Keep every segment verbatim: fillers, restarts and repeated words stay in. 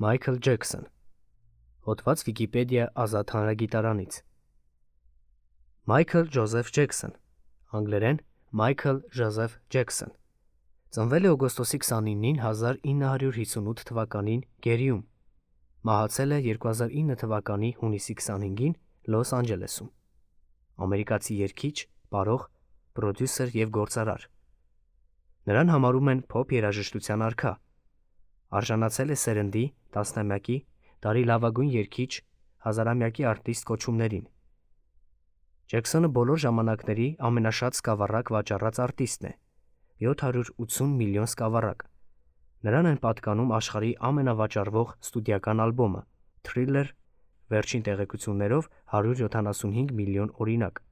Մայքլ Ջեքսոն։ Հոդված Վիկիպեդիա ազատ հանրագիտարանից։ Մայքլ Ջոզեֆ Ջեքսոն, անգլերեն Մայքլ Ջոզեֆ Ջեքսոն, ծնվել է օգոստոսի քսանինին հազար ինը հարյուր հիսունութ թվականին Գերիում, մահացել է երկու հազար ինը թվականի հունիսի քսանհինգին Լոս Անջելեսում, ամերիկացի երգիչ, պարող, պրոդյուսեր և գործարար։ Նրան համարում են փոփ երաժշտության արքա, արժանացել է սերնդի, տասնամյակի, տարի լավագույն երգիչ, հազարամյակի արտիստ կոչումներին։ Ջեքսոնը բոլոր ժամանակների ամենաշատ սկավառակ վաճառած արտիստն է՝ յոթ հարյուր ութսուն միլիոն սկավառակ։ Նրան են պատկանում աշխարհի ամենավաճառվող ստուդիական ալբոմը Thriller, վերջին տեղեկություններով հարյուր յոթանասունհինգ միլիոն օրինակ,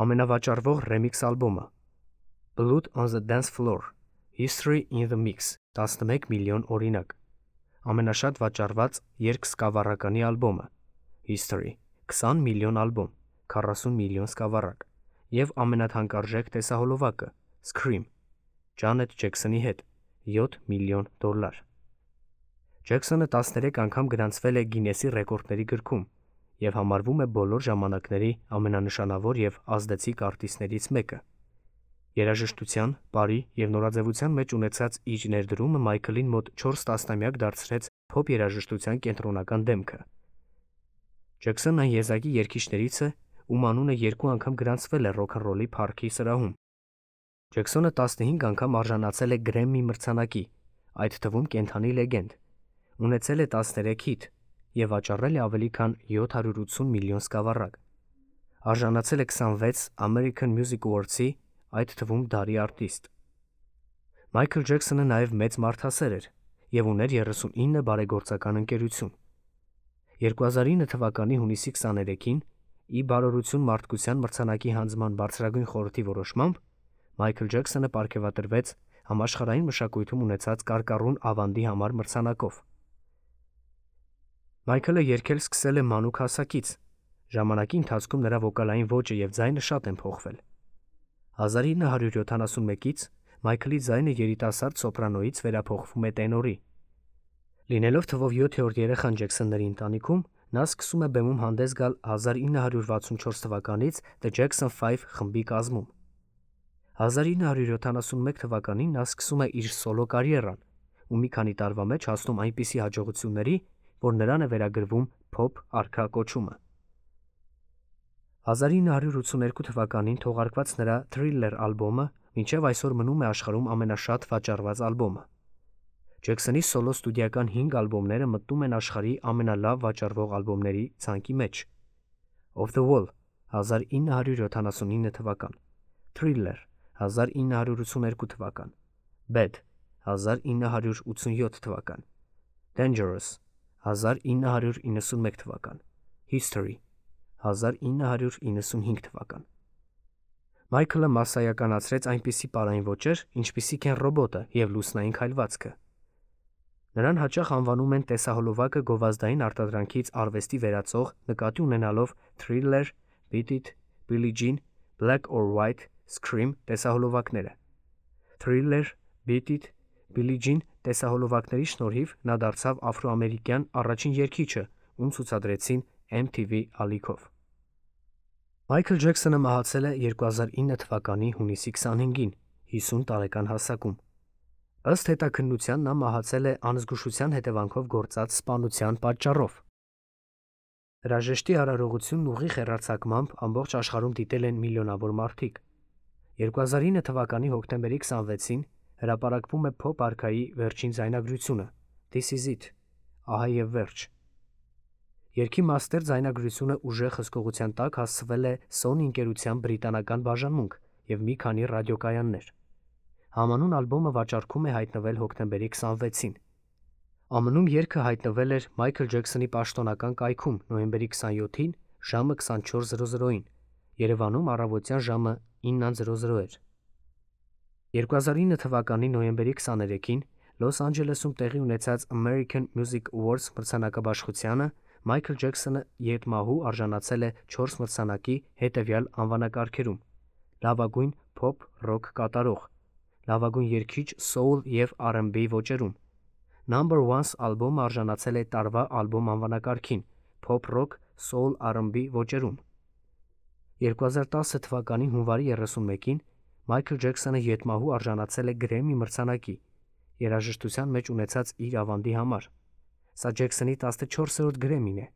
ամենավաճառվող ռեմիքս ալբոմը Blood on the Dance Floor, History in the Mix, տասնմեկ միլիոն օրինակ, ամենաշատ վաճառված երգ-սկավառականի ալբոմը History, քսան միլիոն ալբոմ, քառասուն միլիոն սկավառակ, և ամենաթանկարժեք տեսահոլովակը Scream, Ջանեթ Ջեքսոնի հետ, յոթ միլիոն դոլար։ Ջեքսոնը տասներեք անգամ գրանցվել է Գինեսի ռեկորդների գրքում և համարվում է բոլոր ժամանակների ամենանշանավոր և ազդեցիկ արտիստներից մեկը։ Երաժշտության, պարի և նորաձևության մեջ ունեցած իր ներդրումը Մայքլին մոտ չորս տասնամյակ դարձրեց փոփ երաժշտության կենտրոնական դեմքը։ Ջեքսոնն այն եզակի երգիչներից է, ում անունը երկու անգամ գրանցվել է ռոքնռոլի փառքի սրահում։ Ջեքսոնը տասնհինգ անգամ արժանացել է Գրեմմի մրցանակի, այդ թվում կենդանի լեգենդ, ունեցել է տասներեք հիթ և վաճառել է ավելի քան յոթ հարյուր ութսուն միլիոն սկավառակ։ Արժանացել է քսանվեց American Music Awards-ի, այդ թվում դարի արտիստ։ Մայքլ Ջեքսոնը նաև մեծ մարդասեր էր և ուներ երեսունինը բարեգործական ընկերություն։ երկու հազար ինը թվականի հունիսի քսաներեքին, ի բարօրություն մարդկության մրցանակի հանձնման բարձրագույն խորհրդի որոշմամբ, Մայքլ Ջեքսոնը պարգևատրվեց համաշխարհային մշակույթում ունեցած կարկառուն ավանդի համար մրցանակով։ Մայքլը երգել սկսել է մանուկ հասակից, ժամանակի ընթացքում նրա վոկալային ոճը և ձայնը շատ են փոխվել։ հազար ինը հարյուր յոթանասունմեկից Մայքլի ձայնը երիտասարդ սոպրանոյից վերափոխվում է տենորի։ Լինելով թվով յոթերորդ երեխան Ջեքսոնների ընտանիքում, նա սկսում է բեմում հանդես գալ հազար ինը հարյուր վաթսունչորս թվականից The Jackson Five խմբի կազմում։ հազար ինը հարյուր յոթանասունմեկ թվականին նա սկսում է իր սոլո կարիերան ու մի քանի տարվա մեջ հասնում այնպիսի հաջողությունների, որ նրան է վերագրվում փոփ արքա կոչումը։ հազար ինը հարյուր ութսուներկու թվականին թողարկված նրա Thriller ալբոմը մինչև այսօր մնում է աշխարհում ամենաշատ վաճառված ալբոմը։ Ջեքսոնի սոլո ստուդիական հինգ ալբոմները մտնում են աշխարհի ամենալավ վաճառվող ալբոմների ցանկի մեջ։ Off the Wall հազար ինը հարյուր յոթանասունինը թվական, Thriller հազար ինը հարյուր ութսուներկու թվական, Bad հազար ինը հարյուր ութսունյոթ թվական, Dangerous հազար ինը հարյուր իննսունմեկ թվական, History հազար ինը հարյուր իննսունհինգ թվական։ Մայքլը մասսայականացրեց այնպիսի պարային ոճեր, ինչպիսիք են ռոբոտը և լուսնային քայլվածքը։ Նրան հաճախ անվանում են տեսահոլովակը գովազդային արտադրանքից արվեստի վերածող, նկատի ունենալով Thriller, Beat It, Billie Jean, Black or White, Scream տեսահոլովակները։ Thriller, Beat It, Billie Jean տեսահոլովակների շնորհիվ նա դարձավ աֆրոամերիկյան առաջին երգիչը, ում ցուցադրեցին Էմ Թի Վի ալիքով։ Մայքլ Ջեքսոնը մահացել է երկու հազար ինը թվականի հունիսի քսանհինգին, հիսուն տարեկան հասակում։ Ըստ հետաքննության նա մահացել է անզգուշության հետևանքով գործած սպանության պատճառով։ Հրաժեշտի արարողությունն ուղիղ հեռարձակմամբ ամբողջ աշխարհում դիտել են միլիոնավոր մարդիկ։ երկու հազար ինը թվականի հոկտեմբերի քսանվեցին հրապարակվում է փոփ արքայի վերջին ձայնագրությունը This Is It, ահա և վերջ։ Երգի մաստեր ձայնագրությունը ուժեղ հսկողության տակ հասցվել է Sony ընկերության բրիտանական բաժանմունք և մի քանի ռադիոկայաններ։ Համանուն ալբոմը վաճառքում է հայտնվել հոկտեմբերի քսանվեցին։ ԱՄՆ-ում երգը հայտնվել էր Մայքլ Ջեքսոնի պաշտոնական կայքում նոյեմբերի քսանյոթին ժամը քսանչորս զրո զրոին, Երևանում առավոտյան ժամը ինը էր։ երկու հազար ինը թվականի նոյեմբերի քսաներեքին Լոս Անջելեսում տեղի ունեցած American Music Awards մրցանակաբաշխությանը Մայքլ Ջեքսոնը ետմահու արժանացել է չորս մրցանակի հետևյալ անվանակարգերում՝ լավագույն փոփ ռոք կատարող, լավագույն երգիչ սոուլ և առ էնդ բի ոճերում, Number One ալբոմը արժանացել է տարվա ալբոմ անվանակարգին Pop Rock, Soul առ էնդ բի ոճերում։ երկու հազար տասը թվականի հունվարի երեսունմեկին Մայքլ Ջեքսոնը յետմահու արժանացել է Գրեմմի մրցանակի երաժշտության մեջ ունեցած իր ավանդի համար։ Սա Ջեքսոնի տասնչորսերորդ Գրեմմին է։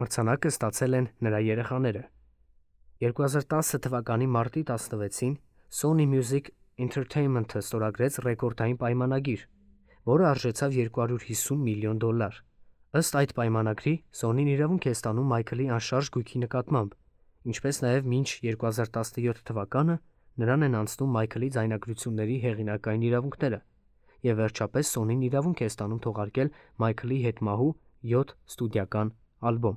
Մրցանակը ստացել են նրա երեխաները։ երկու հազար տասը թվականի մարտի տասնվեցին Sony Music Entertainment-ը ստորագրեց ռեկորդային պայմանագիր, որը արժեցավ երկու հարյուր հիսուն միլիոն դոլար։ Ըստ այդ պայմանագրի Sony-ն իրավունք է ստանում Մայքլի անշարժ գույքի նկատմամբ, ինչպես նաև մինչ երկու հազար տասնյոթ թվականը նրան են անցնում Մայքլի ձայնագրությունների հեղինակային իրավունքները, և վերջապես Sony-ն իրավունք է ստանում թողարկել Մայքլի հետմահու յոթ ստուդիական ալբոմ։